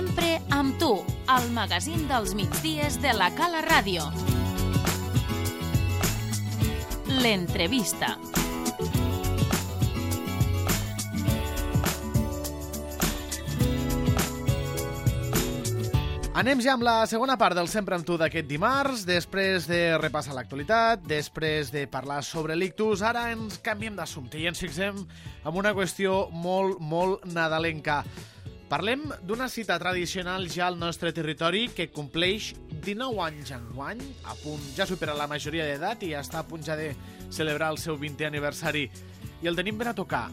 Sempre amb tu, al magazín dels migdies de la Cala Ràdio. L'entrevista. Anem ja amb la segona part del Sempre amb tu d'aquest dimarts. Després de repassar l'actualitat, després de parlar sobre l'ictus, ara ens canviem d'assumpte i ens fixem en una qüestió molt nadalenca. Parlem d'una cita tradicional ja al nostre territori que compleix 19 anys enguany, ja supera la majoria d'edat i està a punt ja de celebrar el seu 20è aniversari. I el tenim ben a tocar.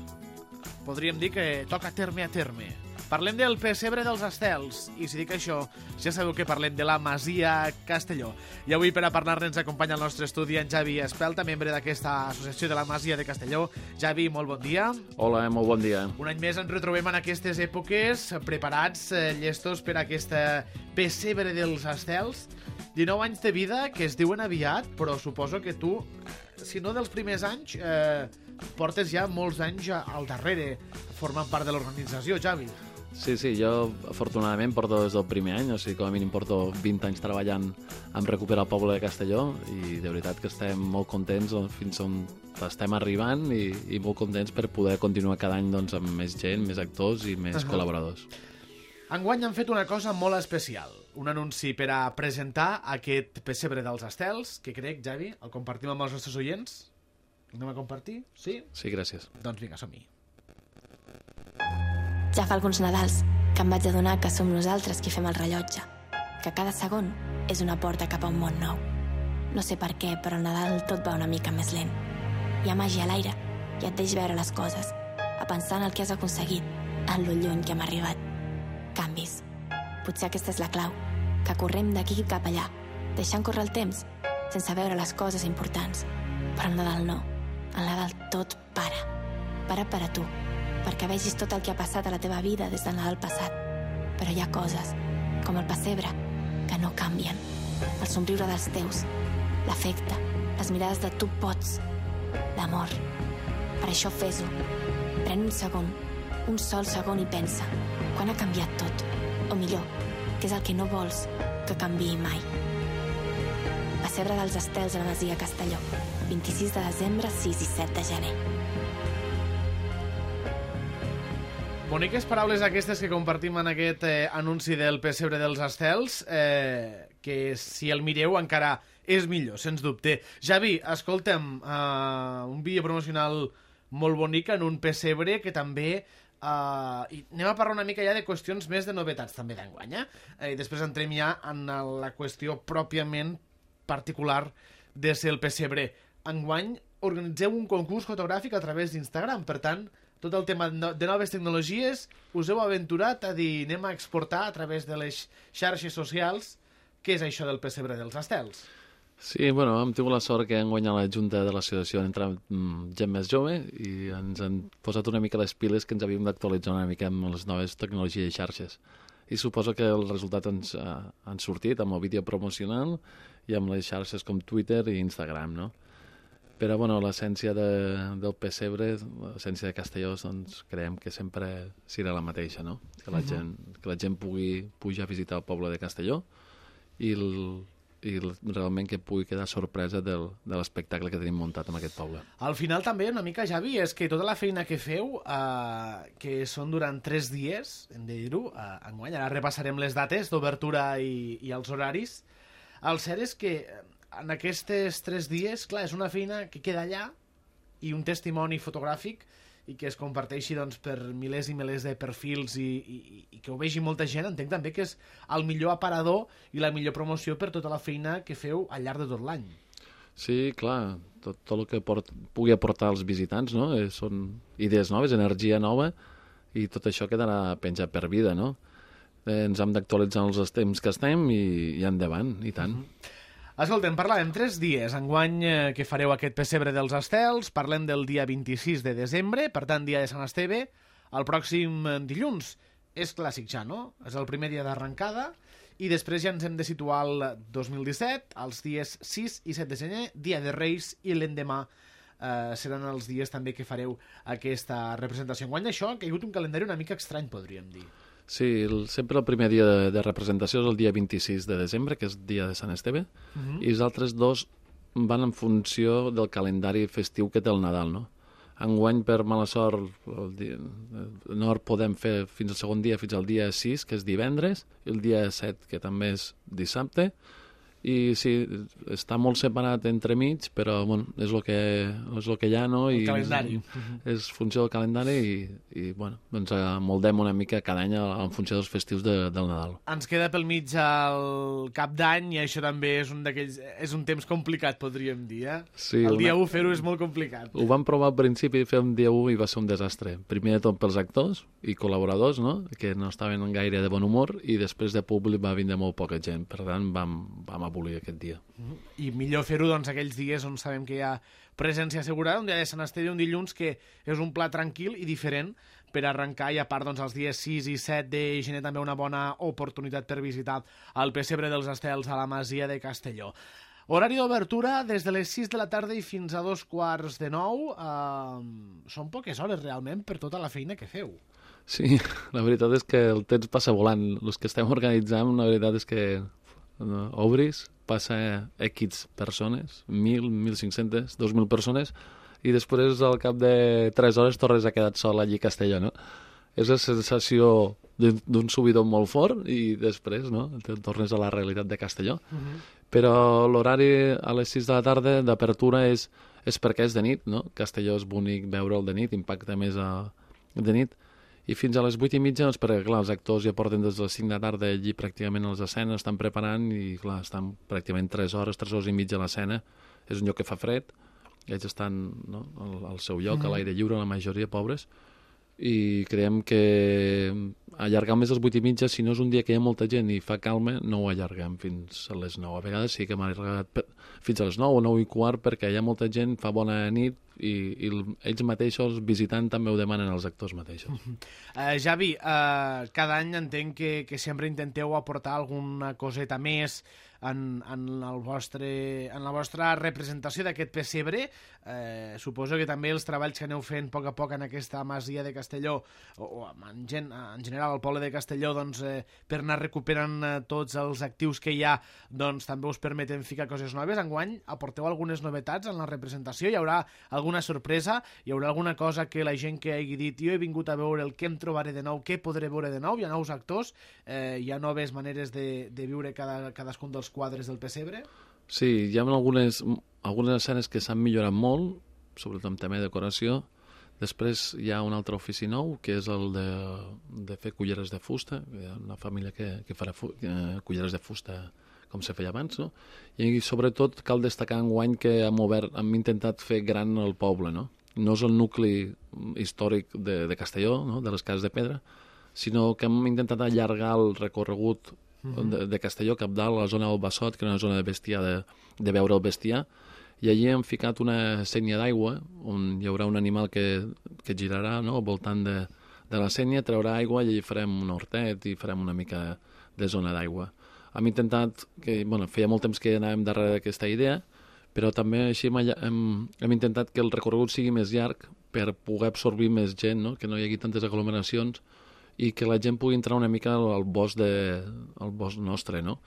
Podríem dir que toca terme a terme. Parlem del pessebre dels Estels, i si dic això, ja sabeu que parlem de la Masia Castelló. I avui per a parlar-ne ens acompanya al nostre estudi en Javi Espelta, membre d'aquesta associació de la Masia de Castelló. Javi, molt bon dia. Hola, molt bon dia. Un any més ens retrobem en aquestes èpoques, preparats, llestos per a aquesta pessebre dels Estels. 19 anys de vida que es diuen aviat, però suposo que tu, si no dels primers anys, portes ja molts anys al darrere, formant part de l'organització, Javi. Sí, jo afortunadament porto des del primer any, o sigui, com a mínim porto 20 anys treballant en recuperar el poble de Castelló i de veritat que estem molt contents fins on estem arribant i molt contents per poder continuar cada any doncs, amb més gent, més actors i més col·laboradors. Enguany han fet una cosa molt especial, un anunci per a presentar aquest pessebre dels Estels, que crec, Javi, el compartim amb els nostres oients. Anem a compartir? Sí? Sí, gràcies. Doncs vinga, som-hi. Ja fa alguns Nadals que em vaig adonar que som nosaltres qui fem el rellotge, que cada segon és una porta cap a un món nou. No sé per què, però al Nadal tot va una mica més lent. Hi ha màgia a l'aire i et deix veure les coses, a pensar en el que has aconseguit, en lo lluny que hem arribat. Canvis. Potser aquesta és la clau, que correm d'aquí cap allà, deixant córrer el temps, sense veure les coses importants. Però al Nadal no. Al Nadal tot para. Para per a tu, perquè vegis tot el que ha passat a la teva vida des del Nadal passat. Però hi ha coses, com el pessebre, que no canvien. El somriure dels teus, l'afecte, les mirades de tu pots, l'amor. Per això fes-ho. Pren un segon, un sol segon i pensa, quan ha canviat tot? O millor, què és el que no vols que canviï mai? Pessebre dels Estels a la Masia Castelló, 26 de desembre, 6 i 7 de gener. Boniques paraules aquestes que compartim en aquest anunci del pessebre dels Estels, que si el mireu encara és millor, sens dubte. Javi, escolta'm, un vídeo promocional molt bonic en un pessebre que també... i anem a parlar una mica ja de qüestions més de novetats també d'enguany, i després entrem ja en la qüestió pròpiament particular de ser el pessebre. Enguany organitzeu un concurs fotogràfic a través d'Instagram, per tant, tot el tema de noves tecnologies us heu aventurat a dir anem a exportar a través de les xarxes socials què és això del pessebre dels Estels. Sí, bueno, hem tingut la sort que hem guanyat la Junta de l'Associació en entrar gent més jove i ens han posat una mica les piles que ens havíem d'actualitzar una mica amb les noves tecnologies i xarxes. I suposo que els resultats ens han sortit amb el vídeo promocional i amb les xarxes com Twitter i Instagram, no? Però, bueno, l'essència del pessebre, l'essència de Castelló, doncs creiem que sempre serà la mateixa, no? Que la gent pugui pujar a visitar el poble de Castelló i realment que pugui quedar sorpresa de l'espectacle que tenim muntat en aquest poble. Al final també una mica, Javi, és que tota la feina que feu, que són durant 3 dies, hem de dir-ho, enguany, ara repassarem les dates d'obertura i els horaris, el cert és que en aquests 3 dies, clar, és una feina que queda allà i un testimoni fotogràfic i que es comparteixi doncs, per milers i milers de perfils i que ho vegi molta gent. Entenc també que és el millor aparador i la millor promoció per tota la feina que feu al llarg de tot l'any. Sí, clar, tot el que pugui aportar als visitants, no? Són idees noves, energia nova i tot això quedarà penjat per vida, no? Ens hem d'actualitzar els temps que estem i endavant, i tant. Escolta'm, parlàvem 3 dies enguany que fareu aquest pessebre dels Estels, parlem del dia 26 de desembre, per tant, dia de Sant Esteve, el pròxim dilluns. És clàssic ja, no? És el primer dia d'arrencada i després ja ens hem de situar al 2017, els dies 6 i 7 de gener, dia de Reis, i l'endemà seran els dies també que fareu aquesta representació. Enguany això ha caigut un calendari una mica estrany, podríem dir. Sí, sempre el primer dia de representació és el dia 26 de desembre, que és dia de Sant Esteve, i els altres dos van en funció del calendari festiu que té el Nadal, no? Enguany, per mala sort, no el podem fer fins al segon dia, fins al dia 6, que és divendres, i el dia 7, que també és dissabte, i sí, està molt separat entremig, però bueno, és el que hi ha, no? El calendari. És funció del calendari i bueno, doncs moldem una mica cada any en funció dels festius del Nadal. Ens queda pel mig el cap d'any i això també és un temps complicat, podríem dir, eh? Sí, el dia 1 fer-ho és molt complicat. Ho vam provar al principi, fer un dia 1 i va ser un desastre. Primer de tot pels actors i col·laboradors, no? Que no estaven gaire de bon humor, i després de públic va vindre molt poca gent. Per tant, vam abolir aquest dia. I millor fer-ho doncs aquells dies on sabem que hi ha presència assegurada, un dia de Sant Esteve, un dilluns que és un pla tranquil i diferent per arrencar, i a part doncs els dies 6 i 7 de gener també una bona oportunitat per visitar el Pessebre dels Estels a la Masia de Castelló. Horari d'obertura des de les 6 de la tarda i fins a 8:45. Són poques hores realment per tota la feina que feu. Sí, la veritat és que el temps passa volant. Els que estem organitzant, la veritat és que obris, passa X persones, 1.000, 1.500, 2.000 persones, i després al cap de 3 hores tornes a quedar sol allí a Castelló, no? És la sensació d'un subidor molt fort i després, no?, tornes a la realitat de Castelló. Però l'horari a les 6 de la tarda d'apertura és perquè és de nit, no? Castelló és bonic veure'l de nit, impacta més de nit. I fins a les 8:30, doncs, perquè clar, els actors ja porten des de les 5 de la tarda allí pràcticament a les escenes, estan preparant i clar, estan pràcticament 3 hores i mitja a l'escena. És un lloc que fa fred, ells estan, no, al seu lloc, a l'aire lliure, la majoria pobres, i creiem que allargar més les 8:30, si no és un dia que hi ha molta gent i fa calma, no ho allarguem fins a les 9. A vegades sí que hem allargat fins a les 9 o 9:15 perquè hi ha molta gent, fa bona nit, i ells mateixos, visitant, també ho demanen als actors mateixos. Javi, cada any entenc que sempre intenteu aportar alguna coseta més en la vostra representació d'aquest pessebre. Suposo que també els treballs que aneu fent a poc en aquesta masia de Castelló, o en general al poble de Castelló, doncs, per anar recuperant tots els actius que hi ha, doncs també us permeten ficar coses noves. Enguany aporteu algunes novetats en la representació? Hi haurà alguna sorpresa? Hi haurà alguna cosa que la gent que hagi dit jo he vingut a veure el que em trobaré de nou, què podré veure de nou? Hi ha nous actors? Hi ha noves maneres de viure cadascun dels quadres del pessebre? Sí, hi ha algunes escenes que s'han millorat molt, sobretot en tema de decoració. Després hi ha un altre ofici nou, que és el de fer culleres de fusta. Hi ha una família que farà culleres de fusta com se feia abans, no? I sobretot cal destacar enguany que hem intentat fer gran el poble, no? No és el nucli històric de Castelló, no?, de les cases de pedra, sinó que hem intentat allargar el recorregut de Castelló cap dalt, a la zona del Bassot, que és una zona de bestiar, de veure el bestiar, i allí hem ficat una sénia d'aigua, on hi haurà un animal que girarà, no?, al voltant de la sénia, traurà aigua i allí farem un hortet i farem una mica de zona d'aigua. Hem intentat, feia molt temps que anàvem darrere d'aquesta idea, però també així hem intentat que el recorregut sigui més llarg per poder absorbir més gent, no?, que no hi hagi tantes aglomeracions i que la gent pugui entrar una mica al bosc nostre, no?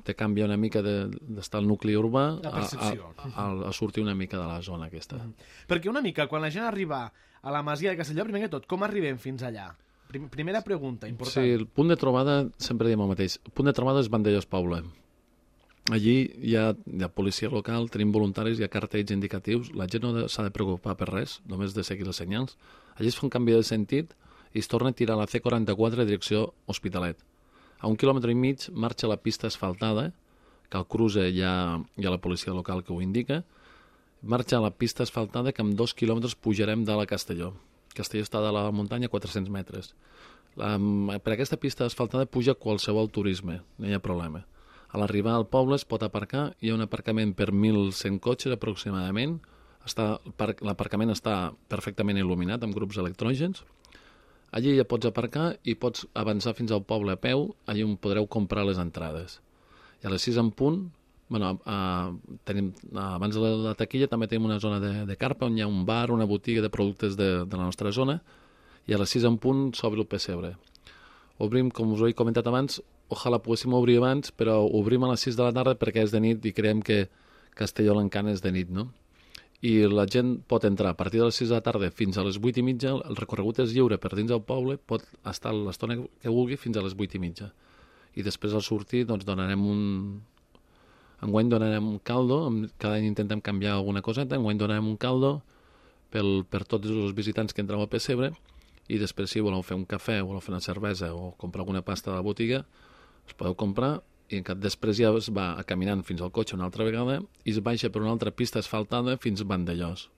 Te canvia una mica d'estar al nucli urbà a sortir una mica de la zona aquesta. Perquè una mica, quan la gent arriba a la masia de Castelló, primer que tot, com arribem fins allà? Primera pregunta, important. Sí, el punt de trobada, sempre diem el mateix, el punt de trobada és Vandellós Poble. Allí hi ha policia local, tenim voluntaris, hi ha cartells indicatius, la gent no s'ha de preocupar per res, només de seguir els senyals. Allí es fa un canvi de sentit i es torna a tirar la C44 a direcció Hospitalet. A 1,5 quilòmetres marxa la pista asfaltada, que al cruce hi ha la policia local que ho indica, marxa la pista asfaltada que amb 2 quilòmetres pujarem de la Castelló. Castelló està de la muntanya a 400 metres. Per aquesta pista asfaltada puja qualsevol turisme, no hi ha problema. A l'arribar al poble es pot aparcar, hi ha un aparcament per 1.100 cotxes aproximadament, l'aparcament està perfectament il·luminat amb grups electrògens. Allí ja pots aparcar i pots avançar fins al poble a peu, allí on podreu comprar les entrades. I a les 6 en punt, abans de la taquilla també tenim una zona de carpa on hi ha un bar, una botiga de productes de la nostra zona, i a les 6 en punt s'obre el pessebre. Obrim, com us he comentat abans, ojalà poguéssim obrir abans, però obrim a les 6 de la tarda perquè és de nit i creiem que Castelló l'Encant és de nit, no? I la gent pot entrar a partir de les 6 de la tarda fins a les 8 i mitja, el recorregut és lliure per dins del poble, pot estar l'estona que vulgui fins a les 8 i mitja. I després al sortir doncs enguany donarem un caldo, cada any intentem canviar alguna coseta, enguany donarem un caldo per tots els visitants que entreu al pessebre, i després si voleu fer un cafè, voleu fer una cervesa o comprar alguna pasta a la botiga, us podeu comprar, i després ja es va caminant fins al cotxe una altra vegada i es baixa per una altra pista asfaltada fins a Vandellós.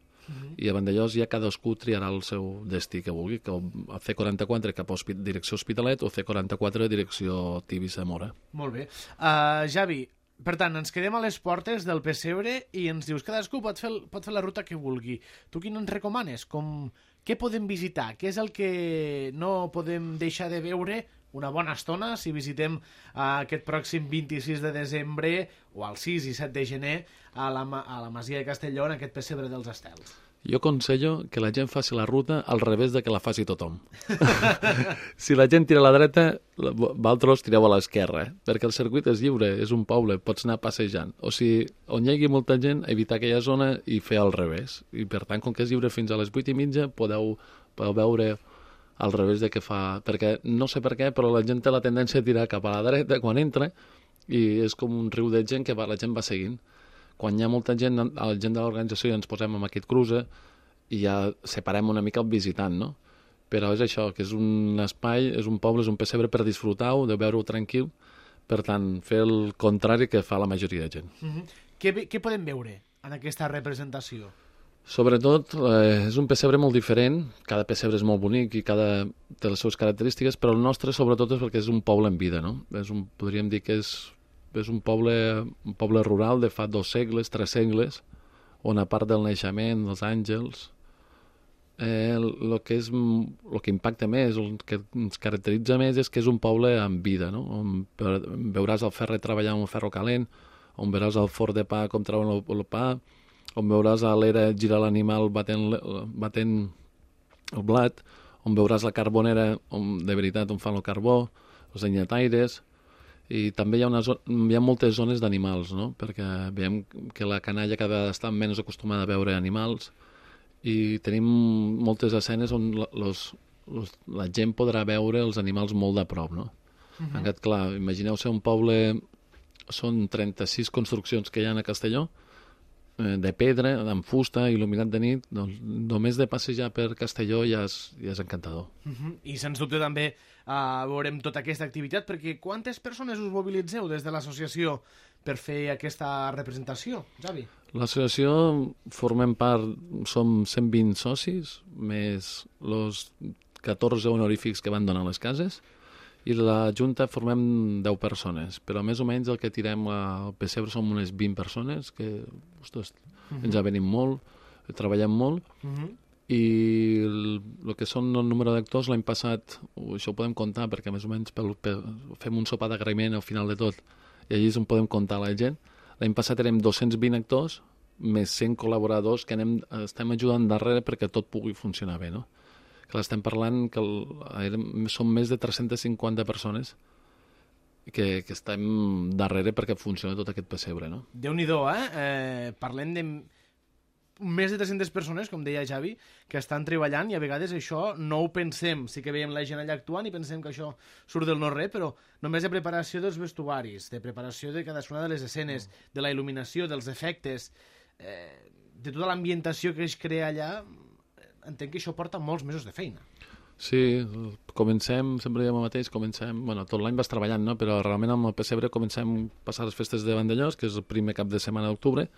I a Vandellós ja cadascú triarà el seu destí que vulgui, que a C44 cap a direcció Hospitalet o C44 direcció Tibi-Zamora. Molt bé. Javi, per tant, ens quedem a les portes del pessebre i ens dius cadascú pot fer la ruta que vulgui. Tu quin ens recomanes? Què podem visitar? Què és el que no podem deixar de veure una bona estona si visitem aquest pròxim 26 de desembre o el 6 i 7 de gener a la Masia de Castelló, en aquest pessebre dels Estels? Jo aconsello que la gent faci la ruta al revés de que la faci tothom. Si la gent tira a la dreta, vosaltres tireu a l'esquerra, perquè el circuit és lliure, és un poble, pots anar passejant. O sigui, on hi hagi molta gent, evitar aquella zona i fer al revés. I per tant, com que és lliure fins a les 8 i mitja, podeu veure al revés de què fa... Perquè no sé per què, però la gent té la tendència a tirar cap a la dreta quan entra i és com un riu de gent que la gent va seguint. Quan hi ha molta gent, la gent de l'organització ja ens posem amb aquest cruce i ja separem una mica el visitant, no? Però és això, que és un espai, és un poble, és un pessebre per disfrutar-ho, de veure-ho tranquil, per tant, fer el contrari que fa la majoria de gent. Què podem veure en aquesta representació? Sobretot, és un pessebre molt diferent, cada pessebre és molt bonic i cada té les seves característiques, però el nostre sobretot és perquè és un poble en vida, no? Podríem dir que és un poble rural de fa 2 segles, 3 segles, on a part del naixement, dels àngels, el que impacta més, el que ens caracteritza més és que és un poble en vida, no? On veuràs el ferrer treballant amb el ferro calent, on veuràs el forn de pa com treuen el pa, on veuràs a l'era girar l'animal batent el blat, on veuràs la carbonera, de veritat, on fan el carbó, els anyataires, i també hi ha moltes zones d'animals, no? Perquè veiem que la canalla cada vegada està menys acostumada a veure animals i tenim moltes escenes on la gent podrà veure els animals molt de prop, no? En aquest, clar, imagineu ser un poble, són 36 construccions que hi ha a Castelló, de pedra, amb fusta, il·luminat de nit, doncs només de passejar per Castelló ja és encantador. I sens dubte també veurem tota aquesta activitat, perquè quantes persones us mobilitzeu des de l'associació per fer aquesta representació, Javi? L'associació formem part, som 120 socis, més els 14 honorífics que van donar les cases, i la Junta formem 10 persones, però més o menys el que tirem al pessebre som unes 20 persones, que ostres, ens avenim molt, treballem molt, i el que són el número d'actors l'any passat, això ho podem comptar perquè més o menys fem un sopar d'agraïment al final de tot, i allí és on podem comptar la gent. L'any passat érem 220 actors, més 100 col·laboradors que estem ajudant darrere perquè tot pugui funcionar bé, no? Que l'estem parlant que són més de 350 persones que estem darrere perquè funciona tot aquest pessebre, no? Déu-n'hi-do, parlem de més de 300 persones, com deia Javi, que estan treballant i a vegades això no ho pensem. Sí que veiem la gent allà actuant i pensem que això surt del no-res, però només de preparació dels vestuaris, de preparació de cadascuna de les escenes, de la il·luminació, dels efectes, de tota l'ambientació que es crea allà, entenc que això porta molts mesos de feina. Sí, comencem, sempre diem el mateix, tot l'any vas treballant, no? Però realment amb el pessebre comencem a passar les festes de Vandellós, que és el primer cap de setmana d'octubre,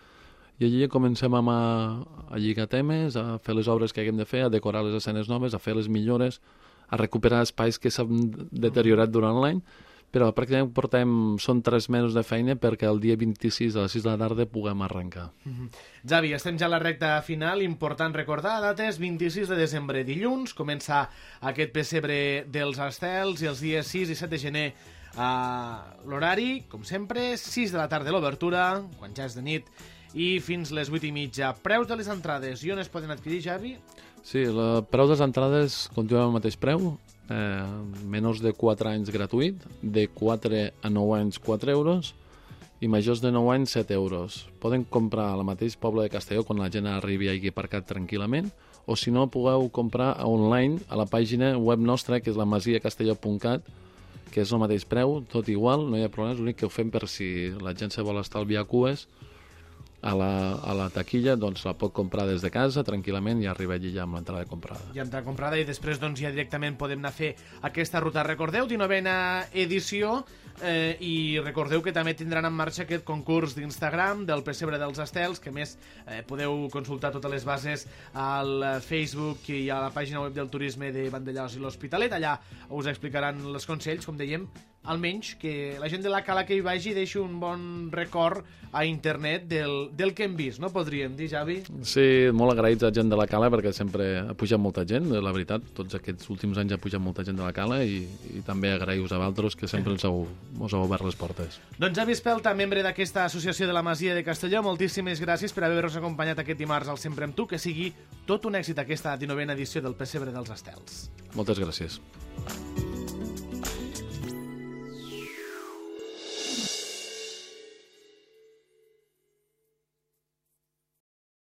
i allí comencem a lligar temes, a fer les obres que haguem de fer, a decorar les escenes noves, a fer les millores, a recuperar espais que s'han deteriorat durant l'any, però pràcticament són 3 mesos de feina perquè el dia 26 a les 6 de la tarda puguem arrencar. Javi, estem ja a la recta final, important recordar dates, 26 de desembre, dilluns, comença aquest pessebre dels Estels i els dies 6 i 7 de gener l'horari, com sempre, 6 de la tarda l'obertura, quan ja és de nit, i fins les 8 i mitja. Preus de les entrades, i on es poden adquirir, Javi? Sí, el preu de les entrades continua al mateix preu, menors de 4 anys gratuït, de 4 a 9 anys 4 euros i majors de 9 anys 7 euros. Poden comprar al mateix poble de Castelló quan la gent arribi i hagi aparcat tranquil·lament, o si no, podeu comprar online a la pàgina web nostra, que és la masiacastelló.cat, que és el mateix preu, tot igual, no hi ha problemes, l'únic que ho fem per si la gent se vol estalviar cues a la taquilla, doncs la pot comprar des de casa tranquil·lament i arriba allí ja amb l'entrada comprada. Ja entrada comprada i després doncs ja directament podem anar a fer aquesta ruta. Recordeu, 19a edició, i recordeu que també tindran en marxa aquest concurs d'Instagram del Pessebre dels Estels, que més podeu consultar totes les bases al Facebook i a la pàgina web del turisme de Vandellòs i l'Hospitalet. Allà us explicaran els consells, com dèiem, almenys que la gent de la Cala que hi vagi deixi un bon record a internet del que hem vist, no podríem dir, Javi? Sí, molt agraïts a gent de la Cala perquè sempre ha pujat molta gent, la veritat, tots aquests últims anys ha pujat molta gent de la Cala i també agraïu-vos a vosaltres que sempre us heu obert les portes. Doncs Javi Espelta, membre d'aquesta associació de la Masia de Castelló, moltíssimes gràcies per haver-nos acompanyat aquest dimarts al Sempre amb tu, que sigui tot un èxit aquesta 19a edició del Pessebre dels Estels. Moltes gràcies.